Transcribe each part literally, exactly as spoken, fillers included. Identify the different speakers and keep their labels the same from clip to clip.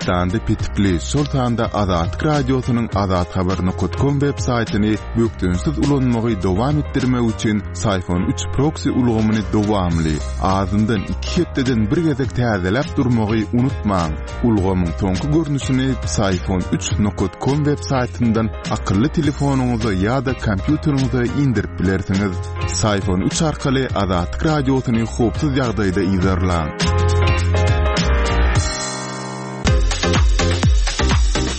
Speaker 1: Türkmenistanda petikli, şol sanda Azatlyk Radiosynyň azathabar nokat kom web saýtyny bökdençsiz ulanmagy dowam etdirmek üçin Syfon üç proksi ulgamyny dowamly, azyndan iki hepdeden bir gezek täzeläp durmagy unutmaň. Ulgamyň soňky görnüşini Syfon üç nokat kom web saýtyndan akylly telefonyňyza ýa-da kompýuteriňize indirip bilersiňiz. Syfon üç arkaly Azatlyk Radiosyny howpsuz ýagdaýda yzarlaň.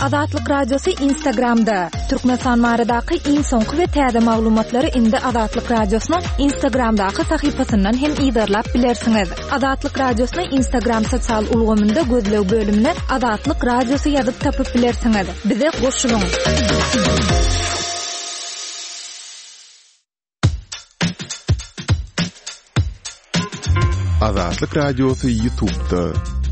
Speaker 2: Azatlyk Radiosy Instagramda. Türkmenistan baradaky iň soňky we täze maglumatlary indi Azatlyk Radiosynyň Instagramdaky sahypasyndan hem yzarlap bilersiňiz. Azatlyk Radiosyny Instagram sosial ulgamynda gözleg bölümine Azatlyk Radiosy ýazyp tapyp bilersiňiz. Bize goşulyň.
Speaker 1: Azatlyk Radiosy YouTube'da.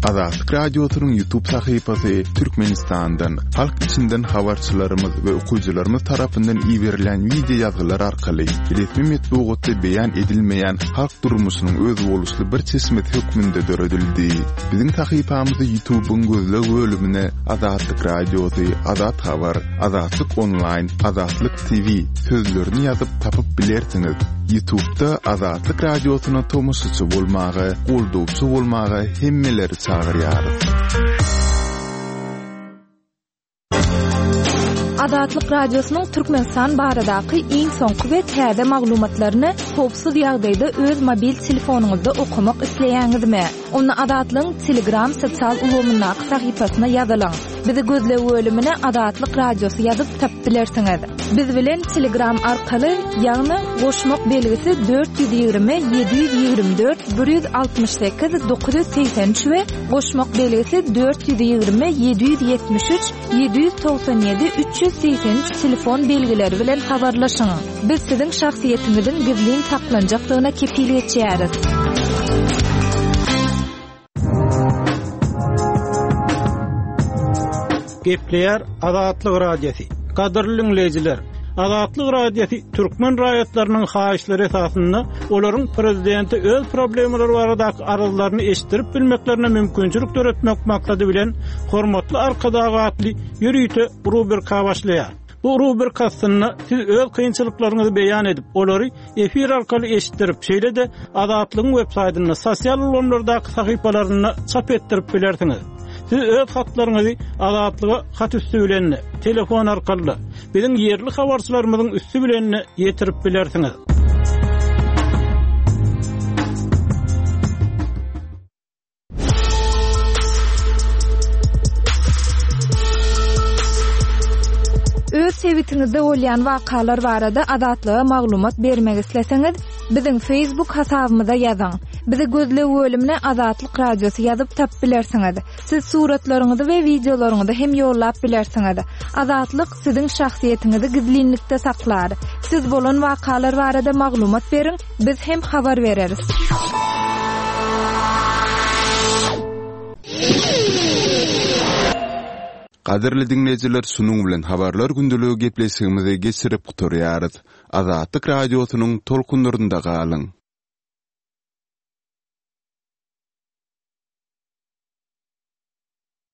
Speaker 1: Azatlyk Radiosynyň YouTube sahypasy Türkmenistandan, halk içinden habarçylarymyz we okyjylarymyz tarapyndan iberilen wideo ýazgylar arkaly resmi metbugatda beýan edilmeýän halk durmuşynyň özboluşly bir çeşmesi hökmünde döredildi. Biziň sahypamyzy YouTube'yň gözleg bölümine Azatlyk Radiosy, Azat Habar, Azatlyk Online, Azatlyk T V sözlerini ýazyp tapyp bilersiňiz. YouTube'da Azatlyk Radiosyna tomaşaçy bolmaga, goldawçy bolmaga hemmeleri çagyrýarys.
Speaker 2: Azatlyk Radiosynyň Türkmenistan baradaky iň soňky we täze maglumatlaryny howpsuz ýagdaýda öz mobil telefonyňyzda okamak isleýäňizmi? Onda Azatlygyň Telegram sosial ulgamyndaky sahypasyna ýazylyň. Bizi gözleg bölümine Azatlyk Radiosy ýazyp tapyp bilersiňiz. Biz bilen Telegram arkaly, ýagny goşmak belgisi dört ýüz ýigrimi, ýedi ýüz ýigrimi dört, bir ýüz altmyş sekiz, dokuz ýüz segsen üç we goşmak belgisi dört ýüz ýigrimi, ýedi ýüz ýetmiş üç, ýedi ýüz togsan ýedi, üç ýüz segsen üç telefon belgileri bilen habarlaşyň. Biz siziň şahsyýetiňiziň gizlin saklanjakdygyna kepil geçýäris.
Speaker 3: Gepleýär Azatlyk Radiosy. Gadyrly dinleýjiler, Azatlyk Radiosy türkmen raýatlarynyň haýyşlary esasynda olaryň prezidenti öz problemalary baradaky arzlaryny eşitdirip bilmeklerine mümkinçilik döretmek maksady bilen Hormatly Arkadag atly ýörite rubrika başlaýar. Bu rubrika aslynda siz öz kynçylyklaryňyzy beýan edip, olary efir arkaly eşitdirip, şeýle-de Azatlygyň web saýtynda, sosial ulgamlardaky sahypalarynda çap etdirip bilersiňiz. Siz öz hatlaryňyzy Azatlyga hat üstü bilen, telefon arkaly, biziň ýerli habarçylarymyzyň üstü bilen ýetirip bilersiňiz.
Speaker 2: Öz sebitiňizde bolýan wakalar barada Azatlyga maglumat bermek isleseňiz, biziň Facebook hasabymyza ýazyň. Bizi gözleg bölümine Azatlyk Radiosy ýazyp tapyp bilersiňiz. Siz suratlaryňyzy we wideolaryňyzy hem ýollap bilersiňiz. Azatlyk siziň şahsyýetiňizi gizlinlikde saklar. Siz bolan wakalar barada maglumat beriň, biz hem habar bereris.
Speaker 1: Gadyrly dinleýjiler, şunuň bilen habarlar gündeligi gepleşigimizi geçirip gutarýarys. Azatlyk Radiosynyň tolkunlarynda galyň.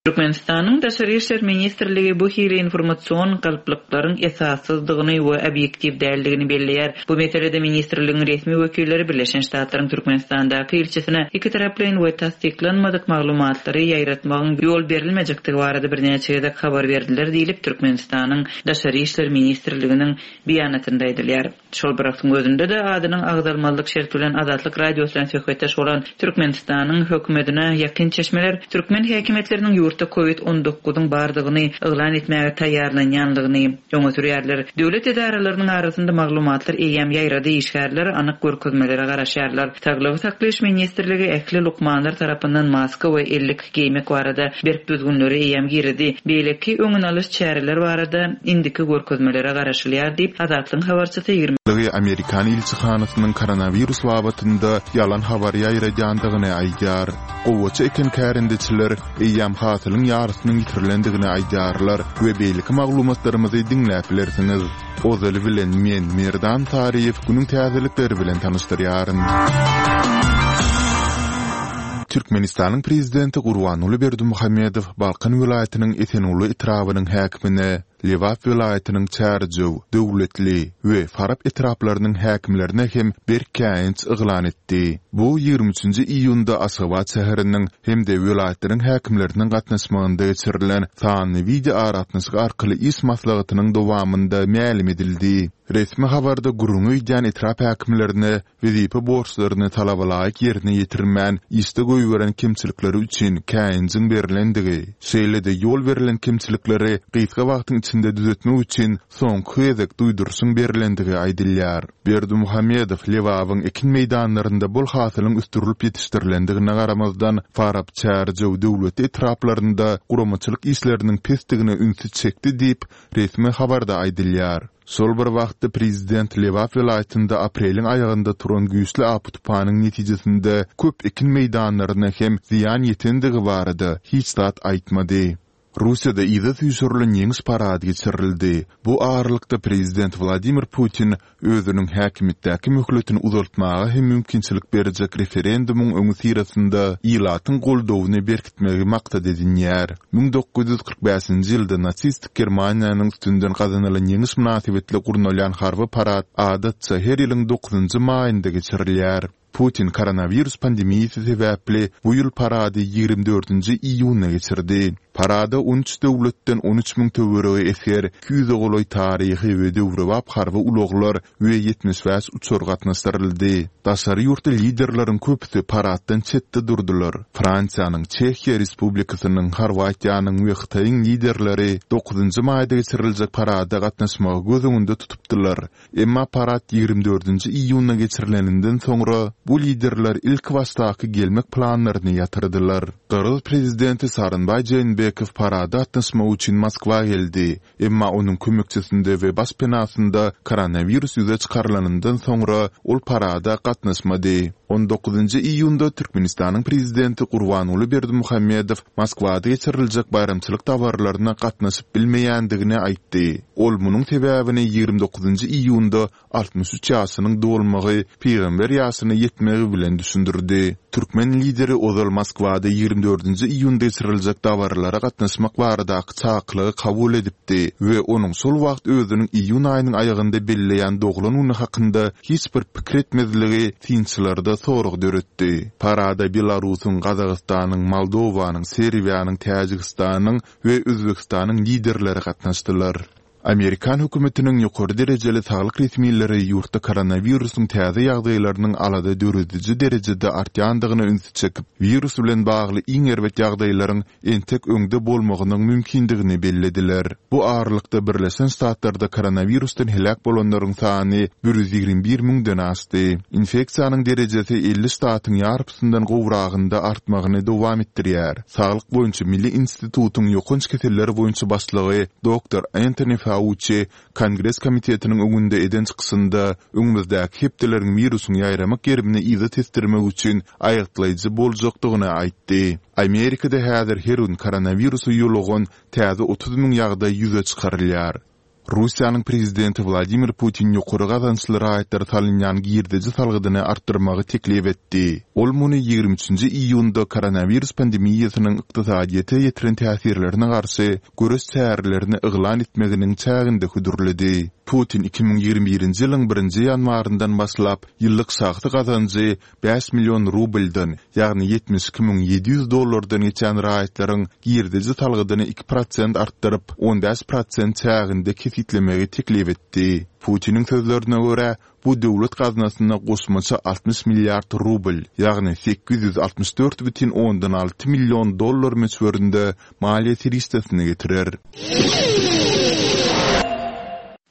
Speaker 4: Türkmenistanyň Daşary İşler Ministrligi bu hili informasyon galplyklaryň esassyzdygyny we obyektiw däldigini belleýär. Bu meselede ministrligiň resmi wekilleri Birleşen Ştatlaryň Türkmenistandaky ilçisine iki taraplaýyn we tassyklanmadyk maglumatlary ýaýratmagyň ýol berilmejekdigi barada birnäçe gezek habar berdiler diýilip Türkmenistanyň Daşary İşler Ministrliginiň beýanatynda aýdylýar. Şol bir wagtyň özünde de adynyň agzalmazlyk şerti bilen Azatlyk Radiosy bilen söhbetdeş bolan Türkmenistanyň hökümetine ýakyn çeşmeler türkmen häkimiýetleriniň ýurtda COVID on dokuzyň bardygyny yglan etmäge taýýarlanýanlygyny öňe sürýärler. Döwlet edaralarynyň arasynda maglumatlar eýýäm ýaýrady, işgärler anyk görkezmelere garaşýarlar. Saglygy saklaýyş ministrligi ähli lukmanlar tarapyndan maska we ellik geýmek barada berk düzgünleri eýýäm girdi. Beýleki öňün alyş çäreler barada indiki görkezmelere garaşylýar diýip Azatlygyň habarçysy ýigrimi
Speaker 1: Lygy Amerikan ilçihanasynyň koronawirus babatynda ýalan habar ýaýradýandygyny aýdýar. Gowaça eken kärendeçiler eýýäm hasylyň ýarysynyň ýitirilendigini aýdýarlar we beýleki maglumatlarymyzy diňläp bilersiňiz. Ozaly bilen men Merdan Taryýew günüň täzelikleri bilen tanyşdyrýaryn. Türkmenistanyň Prezidenti Gurbanguly Berdimuhamedow Balkan welaýatynyň Esenguly etrabynyň häkimine, Lebap welaýatynyň Çärjew, Döwletli we Farap etraplarynyň häkimlerine hem berk käýinç yglan etdi. Bu ýigrimi üçünji iýunda Aşgabat şäheriniň hem-de welaýatlaryň häkimleriniň gatnaşmagynda geçirilen sanly wideoaragatnaşyk arkaly iş maslahatynyň dowamynda mälim edildi. Resmi habarda gürrüňi gidýän etrap häkimlerine wezipe borçlaryny talabalaýyk ýerine ýetirmän, işde goýberen kemçilikleri üçin käýinjiň berlendigi, şeýle-de ýol berlen kemçilikleri gysga wagtyň içinde düzetmek üçin soňky gezek duýduryşyň berlendigi aýdylýar. Berdimuhamedow Lebabyň ekin meýdanlarynda bol hasylyň ösdürilip ýetişdirilendigine garamazdan, Farap, Çärjew, Döwletli etraplarynda guramaçylyk işleriniň pesdigine ünsi çekdi diýip, resmi habarda aýdylýar. Şol bir wagtda prezident Lebap welaýatynda apreliň aýagynda turan güýçli apy-tupanyň netijesinde köp ekin meýdanlaryna hem zyýan ýetendigi barada hiç zat aýtmady. Russiýada yza süýşürilen Ýeňiş parady geçirildi. Bu aralykda prezident Wladimir Putin özüniň häkimiýetdäki möhletini uzaltmaga hem mümkinçilik berjek referendumyň öňüsyrasynda ilatyň goldawyny berkitmegi maksat edinýär. Müň dokuz ýüz kyrk bäşinji ýylda nasistik Germaniýanyň üstünden gazanylan ýeňiş mynasybetli gurnalýan harby parad adatça her ýylyň dokuzynjy maýynda geçirilýär. Putin koronawirus pandemiýasy sebäpli bu ýyl parady ýigrimi dördünji iýunda geçirdi. Parada on üç döwletden on üç müň töweregi esger, iki ýüze golaý taryhy we döwrebap harby ulaglar we ýetmiş bäş uçar gatnaşdyryldy. Daşary ýurtly liderleriň köpüsi paraddan çetde durdular. Fransiýanyň, Çehiýa Respublikasynyň, Horwatiýanyň we Hytaýyň liderleri dokuzynjy maýda geçiriljek parada gatnaşmagy göz öňünde tutupdylar. Emma parad ýigrimi dördünji iýunda geçirileninden soňra bu liderler ilki başdaky gelmek planlaryny ýatyrdylar. Gyrgyz prezidenti Sooronbaý Jeenbekow parada gatnaşmak üçin Moskwa geldi. Emma onuň kömekçisinde we baş penasynda koronawirus ýüze çykarylanyndan soňra ol parada gatnaşmady. On dokuzynjy iýunda Türkmenistanyň prezidenti Gurbanguly Berdimuhamedow Moskwada geçiriljek baýramçylyk dabaralaryna gatnaşyp bilmeýändigini aýtdy. Ol munuň sebäbini ýigrimi dokuzynjy iýunda altmyş üç ýaşynyň dolmagy, pygamber ýaşyna ýetmegi bilen düşündirdi. Türkmen lideri ozal Moskwada ýigrimi dördünji iýunda geçiriljek dabaralara gatnaşmak baradaky çakylygy kabul edipdi we onuň şol wagt özüniň iýun aýynyň aýagynda belleýän doglan güni hakynda hiç bir pikir etmezligi synçylarda sorag döretdi. Parada Belarusyň, Gazagystanyň, Moldowanyň, Serbiýanyň, Täjigistanyň we Özbegistanyň liderleri gatnaşdylar. Amerikan hökümetiniň ýokary derejeli saglyk resmileri ýurtda koronawirusyň täze ýagdaýlarynyň alada dörediji derejede artýandygyna ünsi çekip, wirus bilen bagly iň erbet ýagdaýlaryň entek öňde bolmagynyň mümkindigini bellediler. Bu aralykda Birleşen Ştatlarda koronawirusdan heläk bolanlaryň sany bir ýüz ýigrimi bir müňden aşdy. Infeksiýanyň derejesi elli ştatyň ýarpysyndan gowragynda artmagyny dowam etdirýär. Saglyk boýunça Milli institutyň ýokanç keseller boýunça başlygy doktor Anthony Fauci Kongres komitetiniň öňünde eden çykyşynda öňümizdäki hepdeleriň wirusyň ýaýramak gerimini yza tesdirmek üçin aýgytlaýjy boljakdygyny aýtdy. Amerikada häzir her gün koronawirusa ýolugan täze otuz müň ýagdaý ýüze çykarylýar. Russiýanyň prezidenti Wladimir Putin ýokary gazançly raýatlara salynýan girdeji salgydyny artdyrmagy teklip etdi. Ol muny ýigrimi üçünji iýunda koronawirus pandemiýasynyň ykdysadyýete ýetiren täsirlerine garşy göreş çärelerini yglan etmeginiň çäginde hödürledi. Putin iki müň ýigrimi birinji ýylyň birinji ýanwaryndan başlap ýyllyk şahsy gazanjy bäş million rubldan, ýagny ýetmiş iki müň ýedi ýüz dollardan geçen raýatlaryň girdeji salgydyny iki prosent artdyryp, on bäş prosent çäginde kesgitlemegi teklip etdi. Putiniň sözlerine görä, bu döwlet gaznasyna goşmaça altmyş milliard rubl, ýagny sekiz ýüz altmyş dört bütin ondan alty million dollar möçberinde maliýe serişdesini getirer.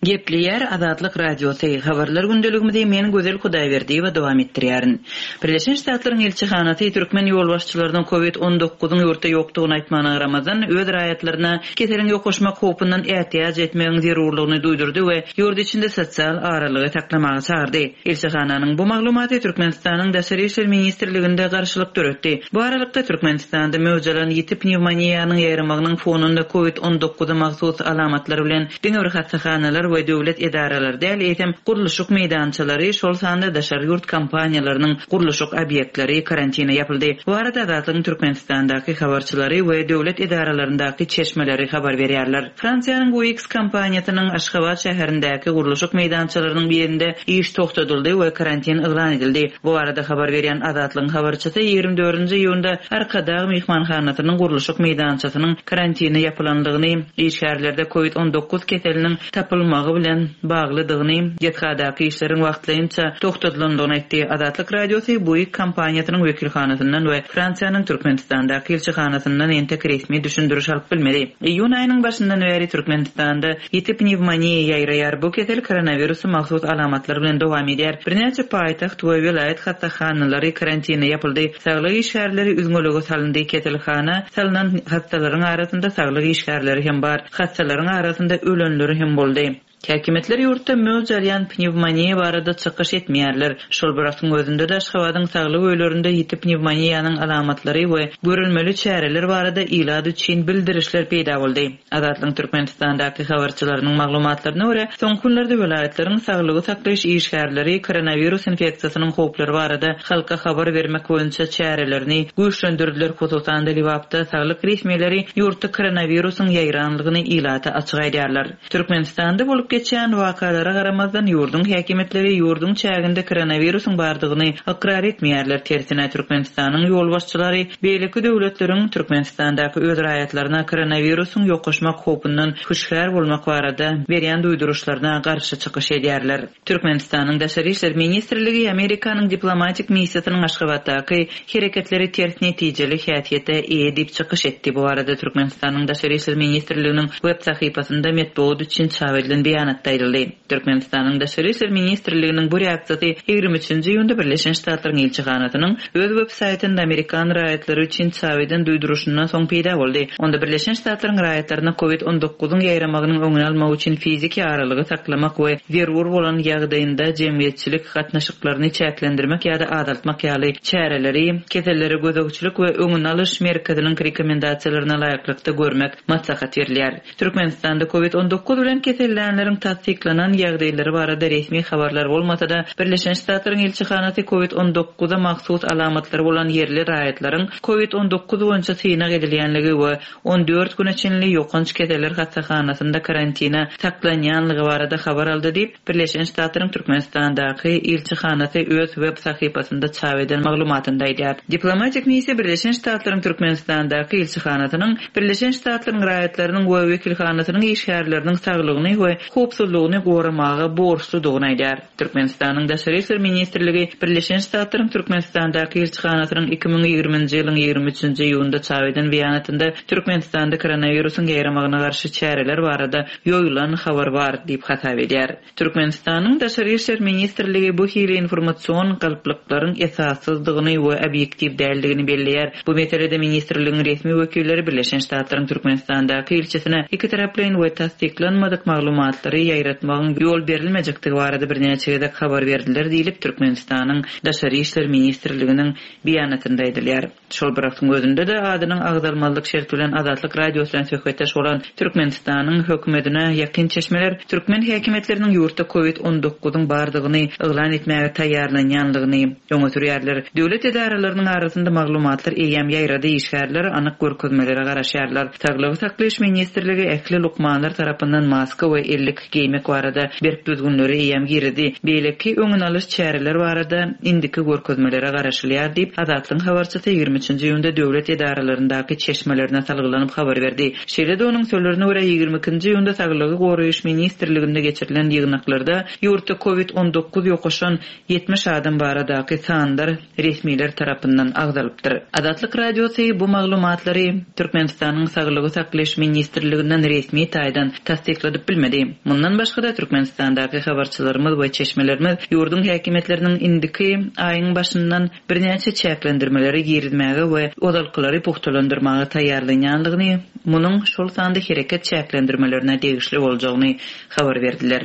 Speaker 4: Gepleýär Azatlyk Radiosy. Habarlar gündeligimizi men Gözel Hudaýberdiýewa dowam etdirýärin. Birleşen Ştatlaryň elçihanasy türkmen ýolbaşçylarynyň COVID on dokuzyň ýurtda ýokdugyny aýtmagyna garamazdan, öz raýatlaryna keseliň ýokaşmak howpundan ätiýaç etmegiň zerurlygyny duýdurdy we ýurt içinde sosial aralygy saklamaga çagyrdy. Elçihananyň bu maglumaty Türkmenistanyň Daşary işler ministrliginde garşylyk döretdi. Bu aralykda Türkmenistanda möwjalan ýiti pnewmoniýanyň ýaýramagynyň fonunda COVID on dokuza mahsus alamatlar bilen diňe bir hassahanalar we döwlet edaralary däl, eýsem gurluşyk meýdançalary, şol sanda daşary ýurt kompaniýalarynyň gurluşyk obýektleri karantina ýapyldy. Bu arada Azatlygyň Türkmenistandaky habarçylary we döwlet edaralaryndaky çeşmeleri habar berýärler. Fransiýanyň Bouygues kompaniýasynyň Aşgabat şäherindäki gurluşyk meýdançalarynyň birinde iş togtadyldy we karantin yglan edildi. Bu arada habar berýän Azatlygyň habarçysy ýigrimi dördünji iýunda Arkadag mehmanhanasynyň gurluşyk meýdançasynyň karantine ýapylandygyny, işgärlerde COVID on dokuz keseliniň tapylmagy bilen baglydygyny, desgadaky işleriň wagtlaýynça togtadylandygyny aýtdy. Azatlyk Radiosy Bouygues kompaniýasynyň wekilhanasyndan we Fransiýanyň Türkmenistandaky ilçihanasyndan entek resmi düşündiriş alyp bilmedi. Iýun aýynyň başyndan bäri Türkmenistanda ýiti pnewmoniýa ýaýraýar. Bu kesel koronawirusa mahsus alamatlar bilen dowam edýär. Birnäçe paýtagt we welaýat hassahanalary karantina ýapyldy. Saglyk işgärleri üzňelige salyndy. Keselhana salynan hassalaryň arasynda saglyk işgärleri hem bar. Hassalaryň arasynda ölenleri hem boldy. Häkimetler ýurtda möwç alýan pnewmoniýa barada çykyş etmeýärler. Şol bir wagtyň özünde de Aşgabadyň saglyk öýlerinde ýiti pnewmoniýanyň alamatlary we görülmeli çäreler barada ilat üçin bildirişler peýda boldy. Azatlygyň Türkmenistandaky habarçylarynyň maglumatlaryna görä, soňky günlerde welaýatlaryň saglygy saklaýyş işgärleri koronawirus infeksiýasynyň howplary barada halka habar bermek boýunça çärelerini güýçlendirdiler. Hususan-da Lebapda saglyk resmileri ýurtda koronawirusyň ýaýranlygyny ilata açyk aýdýarlar. Türkmenistanda bolup geçen wakalara garamazdan ýurduň häkimetleri ýurduň çäginde koronawirusyň bardygyny ykrar etmeýärler. Tersine Türkmenistanyň ýolbaşçylary beýleki döwletleriň Türkmenistandaky öz raýatlaryna koronawirusyň ýokaşmak howpundan hüşgär bolmak barada berýän duýduryşlaryna garşy çykyş edýärler. Türkmenistanyň Daşary işler ministrligi Amerikanyň diplomatik missiýasynyň Aşgabatdaky hereketleri ters netijeli häsiýete eýe diýip çykyş etdi. Bu arada Türkmenistanyň Daşary işler ministrliginiň web sahypasynda metbugat üçin çap edilen beýanatda aýdyldy. Türkmenistanyň Daşary işler ministrliginiň bu reaksiýasy ýigrimi üçünji iýunda Birleşen Ştatlaryň ilçihanasynyň öz web saýtynda Amerikan raýatlary üçin çap eden duýduryşyndan soň peýda boldy. Onda Birleşen Ştatlaryň raýatlaryna COVID on dokuzyň ýaýramagynyň öňüni almak üçin fiziki aralygy saklamak we zerur bolan ýagdaýynda jemgyýetçilik gatnaşyklaryny çäklendirmek ýa-da azaltmak ýaly çäreleri, kesellere gözegçilik we öňüni alyş merkeziniň rekomendasiýalaryna laýyklykda görmek maslahat berilýär. Türkmenistanda COVID on dokuz bilen kesellänleriň tassyklanan ýagdaýlary barada resmi habarlar bolmasa-da, Birleşen Ştatlaryň ilçihanasy COVID on dokuza mahsus alamatlary bolan ýerli raýatlaryň COVID on dokuz boýunça synag edilýänligi we on dört güne çenli ýokanç keseller hassahanasynda karantina saklanýanlygy barada habar aldy diýip, Birleşen Ştatlaryň Türkmenistandaky ilçihanasy öz web sahypasynda çap eden maglumatynda aýdýar. Diplomatik missiýa Birleşen Ştatlaryň Türkmenistandaky ilçihanasynyň Birleşen Ştatlaryň raýatlarynyň we wekilhanasynyň işgärleriniň saglygyny we howpsuzlygyny goramaga borçludygyny aýdýar. Türkmenistanyň Daşary işler ministrligi Birleşen Ştatlaryň Türkmenistandaky ilçihanasynyň iki müň ýigriminji ýylyň ýigrimi üçünji iýunda çap eden beýanatynda Türkmenistanda koronawirusyň ýaýramagyna garşy çäreler barada ýoýulan habar bar diýip hasap edýär. Türkmenistanyň Daşary işler ministrligi bu hili informasyon galplyklaryň esassyzdygyny we obýektiw däldigini belleýär. Bu meselede ministrligiň resmi wekilleri Birleşen Ştatlaryň Türkmenistandaky ilçisine iki taraplaýyn we tassyklanmadyk maglumatlary ýaýratmagyň ýol berilmejekdigi barada birnäçe gezek habar berdiler diýlip Türkmenistanyň Daşary işler ministrliginiň beýanatynda aýdylýar. Şol bir wagtyň özünde de adynyň agzalmazlyk şerti bilen Azatlyk Radiosy bilen söhbetdeş bolan Türkmenistanyň hökümetine ýakyn çeşmeler türkmen häkimiýetleriniň ýurtda COVID on dokuzyň bardygyny yglan etmäge taýýarlanýanlygyny öňe sürýärler. Döwlet edaralarynyň arasynda maglumatlar eýýäm ýaýrady, işgärler anyk görkezmelere garaşýarlar. Saglygy saklaýyş ministrligi ähli lukmanlar tarapyndan maska we ellik geýmek barada berk düzgünleri eýýäm girdi. Beýleki öňüni alyş çäreler barada indiki görkezmelere garaşylýar diýip Azatlygyň habarçysy ýigrimi üçünji iýunda döwlet edaralaryndaky çeşmelerine salgylanyp habar berdi. Şeýle-de onuň sözlerine görä ýigrimi ikinji iýunda Saglygy goraýyş ministrliginde geçirilen ýygnaklarda ýurtda COVID on dokuz ýokaşan ýetmiş adam baradaky sanlar resmiler tarapyndan agzalypdyr. Azatlyk Radiosy bu maglumatlary Türkmenistanyň Saglygy saklaýyş ministrliginden resmi taýdan tassykladyp bilmedi. Mundan başga-da Türkmenistandaky habarçylarymyz we çeşmelerimiz ýurduň häkimiýetleriniň indiki aýyň başyndan birnäçe çäklendirmeleri girizmäge we ozalkylary puhtalandyrmaga taýýarlanýanlygyny, munuň şol sanda hereket çäklendirmelerine degişli boljagyny habar berdiler.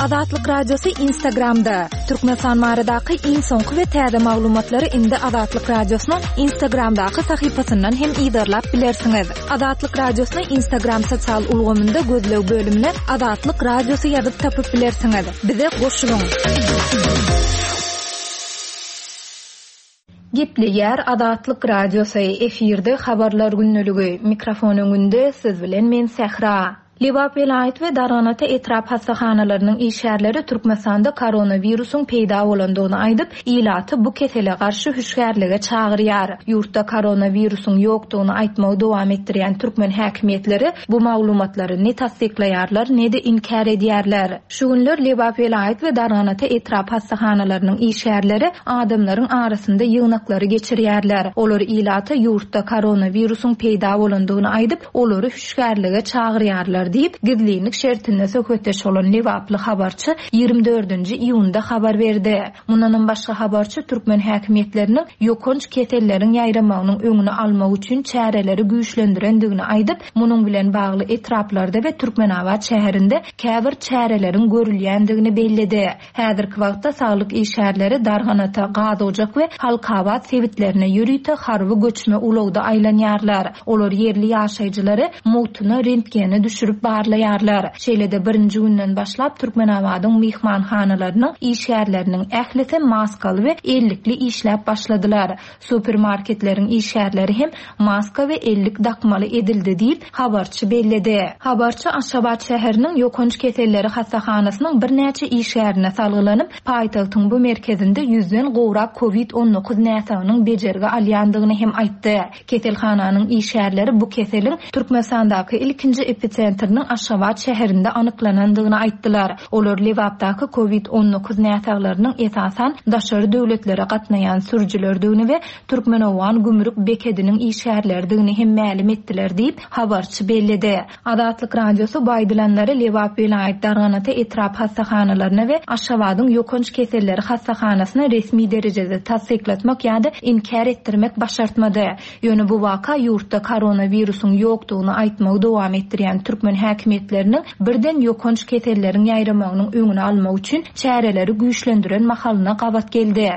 Speaker 2: Azatlyk Radiosy Instagramda. Türkmenistan baradaky iň soňky we täze maglumatlary indi Azatlyk Radiosynyň Instagramdaky sahypasyndan hem yzarlap bilersiňiz. Azatlyk Radiosyny Instagram sosial ulgamynda gözleg bölümine Azatlyk Radiosy ýazyp tapyp bilersiňiz. Bize goşulyň. Gepleýär Azatlyk Radiosy efirde habarlar günlügi. Mikrofon öňünde siz bilen men Sähra. Lebap welaýat we Darganata etrap hassahanalarynyň işgärleri Türkmenistanda koronawirusyň peýda bolandygyny aýdyp, ilaty bu kesele garşy hüşgärlige çagyrýar. Ýurtda koronawirusyň ýokdugyny aýtmagy dowam etdirýän türkmen häkimiýetleri bu maglumatlary ne tassyklaýarlar, ne-de inkär edýärler. Şu günler Lebap welaýat we Darganata etrap hassahanalarynyň işgärleri adamlaryň arasynda ýygnaklary geçirýärler. Olar ilata ýurtda koronawirusyň peýda bolandygyny aýdyp, olary hüşgärlige çagyrýarlar diýip, gizlinlik şertinde söhbetdeş bolan Lebaply habarçy ýigrimi dördünji iýunda habar berdi. Mundanam başga habarçy türkmen häkimiýetleriniň ýokanç keselleriň ýaýramagynyň öňüni almak üçin çäreleri güýçlendirendigini aýdyp, munuň bilen bagly etraplarda we Türkmenabat şäherinde käbir çäreleriň görülýändigini belledi. Häzirki wagtda saglyk işgärleri Darganata, Gazojak we Halkabat sebitlerine ýörite harby göçme ulagda aýlanýarlar. Olar ýerli ýaşaýjylary mugtuna rentgene düşürip barlaýarlar. Şeýle-de birinji günden başlap Türkmenabadyň myhmanhanalarynyň işgärleriniň ählisi maskaly we ellikli işläp başladylar. Supermarketleriň işgärleri hem maska we ellik dakmaly edildi diýip, habarçy belledi. Habarçy Aşgabat şäheriniň ýokanç keselleri hassahanasynyň birnäçe işgärine salgylanyp, paýtagtyň bu merkezinde ýüzden gowrak COVID on dokuz näsagynyň bejergi alýandygyny hem aýtdy. Keselhananyň işgärleri bu keseliň Türkmenistandaky ilkinji episentriniň Aşgabat şäherinde anyklanandygyny aýtdylar. Olar Lebapdaky COVID on dokuz näsaglarynyň esasan daşary döwletlere gatnaýan sürüjilerdigini we Türkmen-Owgan gümrük bekediniň işgärleridigini hem mälim etdiler diýip, habarçy belledi. Azatlyk Radiosy bu aýdylanlary Lebap welaýat Darganata etrap hassahanalaryna we Aşgabadyň ýokanç keselleri hassahanasyna resmi derejede tassyklatmak ýa-da inkär etdirmek başartmady. Ýöne bu waka ýurtda koronawirusyň ýokdugyny aýtmagy dowam etdirýän türkmen häkimiýetleriniň birden ýokanç keselleriň ýaýramagynyň öňüni almak üçin çäreleri güýçlendiren mahalyna gabat geldi.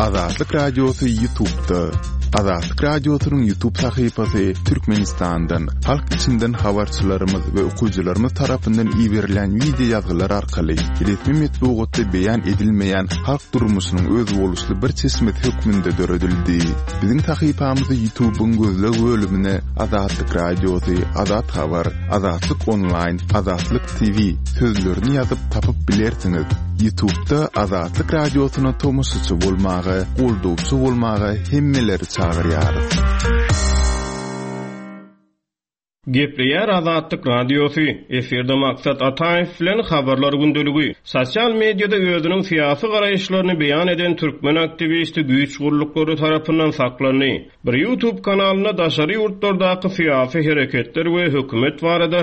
Speaker 1: Azatlyk Radiosy YouTube'da. Azatlyk Radiosynyň YouTube sahypasy Türkmenistandan, halk içinden habarçylarymyz we okyjylarymyz tarapyndan iberilen video ýazgylar arkaly resmi metbugatda beýan edilmeýän halk durmuşynyň özboluşly bir çeşmesi hökmünde döredildi. Biziň sahypamyzy YouTube'yň gözleg bölümine Azatlyk Radiosy, Azat Habar, Azatlyk Online, Azatlyk T V sözlerini ýazyp tapyp bilersiňiz. YouTube'da Azatlyk Radiosyna tomaşaçy bolmaga, goldawçy bolmaga hemmeleri çagyrýarys.
Speaker 5: Gepleýär Azatlyk Radiosy. Efirde Maksat Ataýew bilen habarlar gündeligi. Sosial mediada özüniň syýasy garaýyşlaryny beýan eden türkmen aktiwisti güýç gurluklary tarapyndan saklandy. Bir YouTube kanalynda daşary ýurtlardaky syýasy hereketler we hökümet barada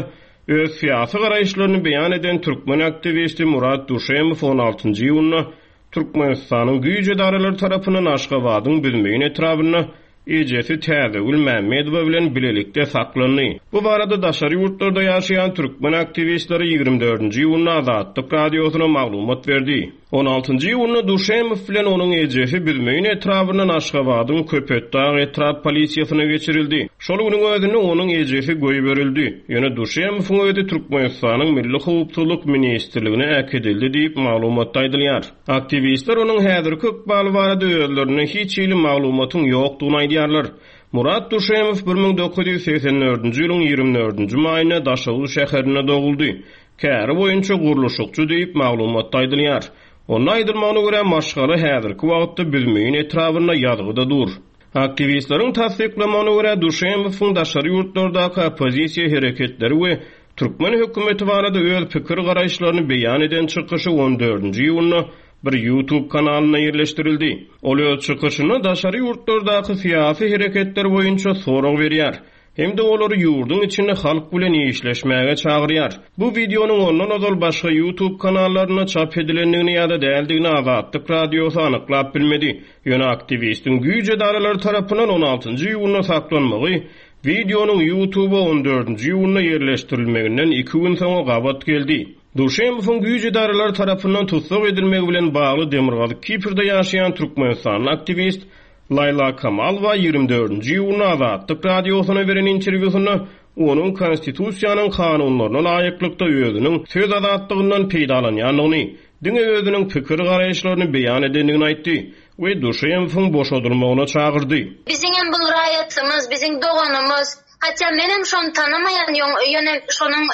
Speaker 5: öz syýasy garaýyşlaryny beýan eden türkmen aktiwisti Murat Duşemow on altynjy iýunda Türkmenistanyň güýç edaralary tarapyndan Aşgabadyň Büzmeýin etrabynda ejesi Täzegül Mämmedowa bilen bilelikde saklandy. Bu barada daşary ýurtlarda ýaşaýan türkmen aktiwistleri ýigrimi dördünji iýunda Azatlyk Radiosyna maglumat berdi. On altynjy iýunda Duşemow bilen onuň ejesi Büzmeýin etrabyndan Aşgabadyň Köpetdag etrap polisiýasyna geçirildi. Şol günüň özünde onuň ejesi goýberildi. Ýöne Duşemowyň özi Türkmenistanyň Milli Howpsuzlyk Ministrligine äkidildi diýip maglumatda aýdylýar. Aktiwistler onuň häzirki ykbaly barada özlerine hiç hili maglumatyň ýokdugyny aýdýarlar. Murat Duşemow bir müň dokuz ýüz segsen dördünji ýylyň ýigrimi dördünji maýynda Daşoguz şäherinde doguldy. Käri boýunça gurluşykçy diýip maglumatda aýdylýar. Onda aýdylmagyna görä maşgala häzirki wagtda Büzmeýin etrabynda ýazgyda dur. Aktiwistleriň tassyklamagyna görä Duşemowyň daşary ýurtlardaky oppozisiýa hereketleri we türkmen hökümeti barada öz pikir garaýyşlaryny beýan eden çykyşy on dördünji iýunda bir YouTube kanalynda ýerleşdirildi. Ol öz çykyşyny daşary ýurtlardaky syýasy hereketler boýunça sorag berýär. Hem de olary ýurduň içinde halk bilen işleşmäge çagyrýar. Bu videonyň ondan ozal başga YouTube kanallarynda çap edilendigini ýa-da däldigini Azatlyk Radiosy anyklap bilmedi. Ýöne aktiwistiň güýç edaralary tarapyndan on altynjy iýunda saklanmagy Wideonyň YouTube-a on dördünji iýunda ýerleşdirilmeginden iki gün soňra gabat geldi. Duşemowyň güýç edaralary tarapyndan tussag edilmegi bilen bagly Demirgazyk Kiprde ýaşaýan Türkmenistanly aktiwist Laýla Kamalowa ýigrimi dördünji iýunda Azatlyk radiosyna beren interwýusynda onuň konstitusiýanyň kanunlaryna laýyklykda özüniň söz azatlygyndan peýdalanýandygyny, diňe özüniň pikir garaýyşlaryny beýan edendigini aýtdy we Duşemowyň boşadylmagyna çagyrdy.
Speaker 6: Biziň bu raýatymyz, biziň doganymyz, hatda menem şonu tanamaýan ýöne şonuň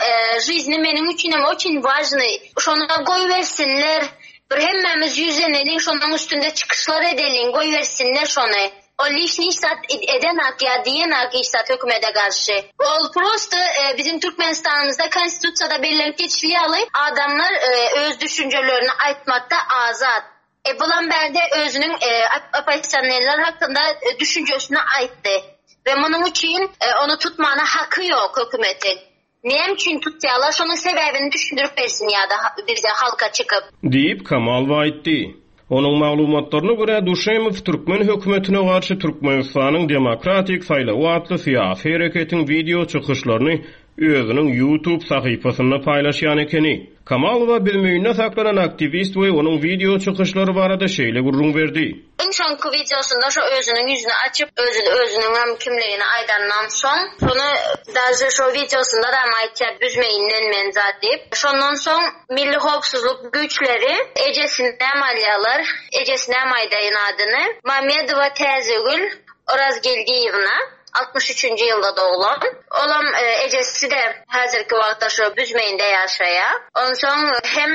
Speaker 6: жизни meniň üçin hem очень важный. Şonu goýbersinler. Bir hemmämiz ýüzleneliň, şonuň üstünde çykyşlar edeliň, goýbersinler şonu. O lişni zat eden ak ya diyen ak iş zat hökümete garşy. Ol prosta e, bizim Türkmenistanımızda konstitusiýada bellenip geçilýäli adamlar e, öz düşünjelerini aýtmakda azat. E, bulan berde özüniň e, oppozisionerler hakkında e, düşünjesini aýtdy. Ve munuň üçin e, onu tutmana haky ýok hökümetin. Näme üçin tutýarlar? Şonuň sebäbini düşündirip bersin ýa-da bize halka çykyp.
Speaker 5: Diýip Kamalowa aýtdy. Onuň maglumatlaryna görä Duşemow Türkmen hökümetine garşy Türkmenistanyň Demokratik saýlawy atly syýasy hereketiň wideo çykyşlaryny özüniň YouTube sahypasynda paýlaşýan ekeni. Kamalowa Büzmeýinde saklanan aktiwist we onuň wideo çykyşlary barada şeýle gürrüň berdi.
Speaker 6: Iň soňky wideosunda şo özüniň ýüzüni açyp, özüni özüniň hem kimligini aýdandan soň, şonu daže şo wideosunda da aýtýar Büzmeýinden men zat diýip. Şondan soň Milli howpsuzlyk güýçleri ejesine alýarlar, ejesine aýdaýyn adyny. Mamedowa Täzegül Orazgeldiýewna altmyş üçünji ýylda doglan. Olam, e, ejesi de häzirki wagtda şo Büzmeýinde ýaşaýar. Onsoň hem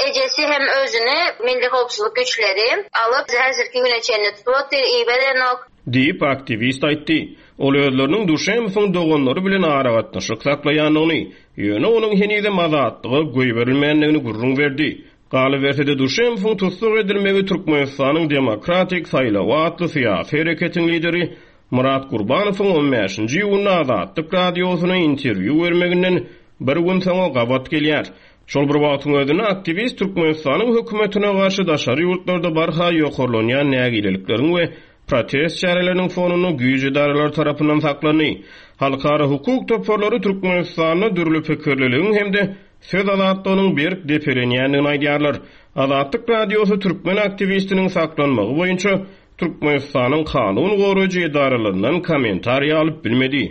Speaker 6: ejesi hem özüni Milli howpsuzlyk güýçleri alyp häzirki güne çenli tutup iberenok.
Speaker 5: Diýip aktiwist aýtdy. Ol özleriniň Duşemowyň doganlary bilen aragatnaşyk saklaýandygyny, ýöne onuň henizem azatlyga goýberilmändigini gürrüň berdi. Galyberse-de Duşemowyň tussag edilmegi Türkmenistanyň Demokratik saýlawy atly syýasy hereketiň lideri Murat Gurbanowyň on bäşinji iýunda Azatlyk radiosyna interwýu bermeginden bir gün soňra gabat gelýär. Şol bir wagtyň özünde aktiwist Türkmenistanyň hökümetine garşy daşary ýurtlarda barha ýokarlanýan nägilelikleriň we protest çäreleriniň fonunda güýç edaralary tarapyndan saklandy. Halkara hukuk toparlary Türkmenistanda dürli pikirliligiň hem-de söz azatlygynyň berk depelenýändigini aýdýarlar. Azatlyk radiosy türkmen aktiwistiniň saklanmagy boýunça Türkmenistanyň kanun goraýjy edaralaryndan kommentariýa alyp bilmedi.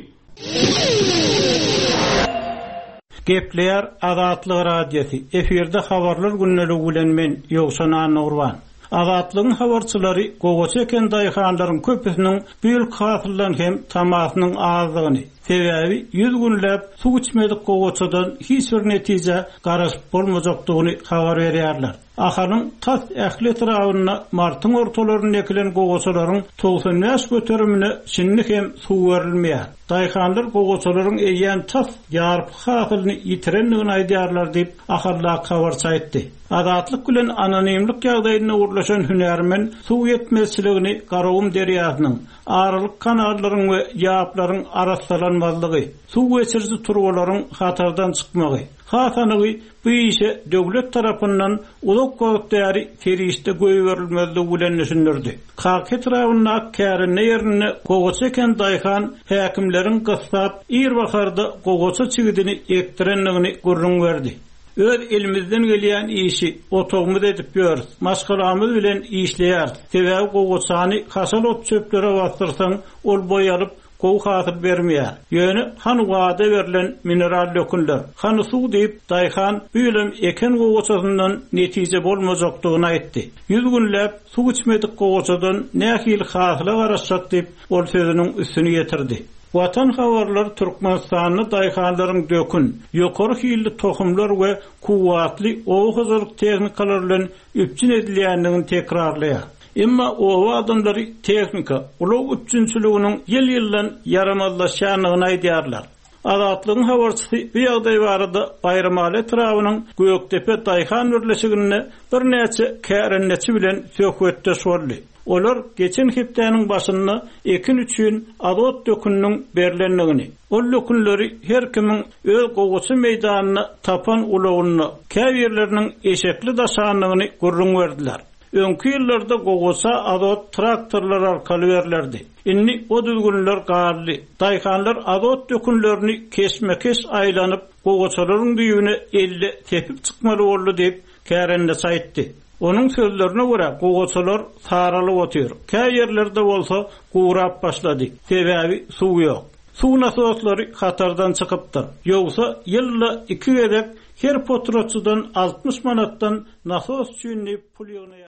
Speaker 3: Gepleýär Azatlyk radiosy. Efirde habarlar günlügi bilen men Ýowşan Annagurban. Azatlygyň habarçylary gowaça eken daýhanlaryň köpüsiniň bu ýyl hasyldan hem tamasynyň azdygyny, sebäbi ýüz günläp suw içmedik gowaçadan hiç bir netije garaşyp bolmajakdygyny habar berýärler. Ahalyň tas ähli etrabynda martyň ortalarynda ekilen gowaçalaryň togsan bäş göterimine şindi hem suw berilmeýär. Daýhanlar gowaçalaryň eýýäm tas ýarpy hasylyny ýitirendigini aýdýarlar diýip Ahaldaky habarçy aýtdy. Azatlyk bilen anonimlik ýagdaýynda gurlaşan hünärmen suw ýetmezçiligini Garagum derýasynyň, aralyk kanallaryň we ýaplaryň arassalanmazlygy, suw geçiriji turbalaryň hatardan çykmagy, hasanygy bu işe döwlet tarapyndan uzak wagt bäri serişde goýberilmezligi bilen düşündirdi. Kak etrabynda kärende ýerinde gowaça eken daýhan häkimleriň gyssap ir baharda gowaça çigidini ekdirendigini gürrüň berdi. Öz elimizden gelýän işi otagymyz edip ýörüs, maşgalamyz bilen işleýäris. Sebäbi gowaçany haşal ot çöplere bastyrsaň, ol boýalyp gowy hasyl bermeýär. Ýöne hany wada berlen mineral dökünler, hany suw diýip daýhan bu ýylam eken gowaçasyndan netije bolmajakdygyny aýtdy. Ýüz günläp suw içmedik gowaçadan nähili hasyla garaşjak diýip ol sözüniň üstüni ýetirdi. Watan habarlar Türkmenistanda daýhanlaryň dökün, ýokary hilli tohumlar we kuwwatly oba hojalyk tehnikalary bilen üpjün edilýändigini tekrarlaýar. Emma oba adamlary tehnika, ulag üpjünçiliginiň ýyl-ýyldan ýaramazlaşýandygyny aýdýarlar. Azatlygyň habarçysy bu ýagdaý barada Baýramaly etrabynyň Gökdepe daýhan birleşiginde birnäçe kärendeçi bilen söhbetdeş boldy. Olar geçen hepdäniň başynda ekin üçin azot döküniniň berlendigini, ol dökünleri her kimiň öz gowaça meýdanyna tapan ulagyna, käbirleriniň eşekli daşandygyny gürrüň berdiler. Öňki ýyllarda gowaça azot traktorlar arkaly berlerdi. Indi o düzgünler galdy. Daýhanlar azot dökünlerini keşmekeş aýlanyp, gowaçalaryň düýbüne elle tepip çykmaly boldy diýip kärendeçi aýtdy. Onuň sözlerine görä gowaçalar saralyp otyr. Kä ýerlerde bolsa gurap başlady. Sebäbi suw ýok. Suw nasoslary hatardan çykypdyr. Ýogsa ýylda iki gezek her potratçydan altmyş manatdan nasos üçin diýip pul ýygnaýar.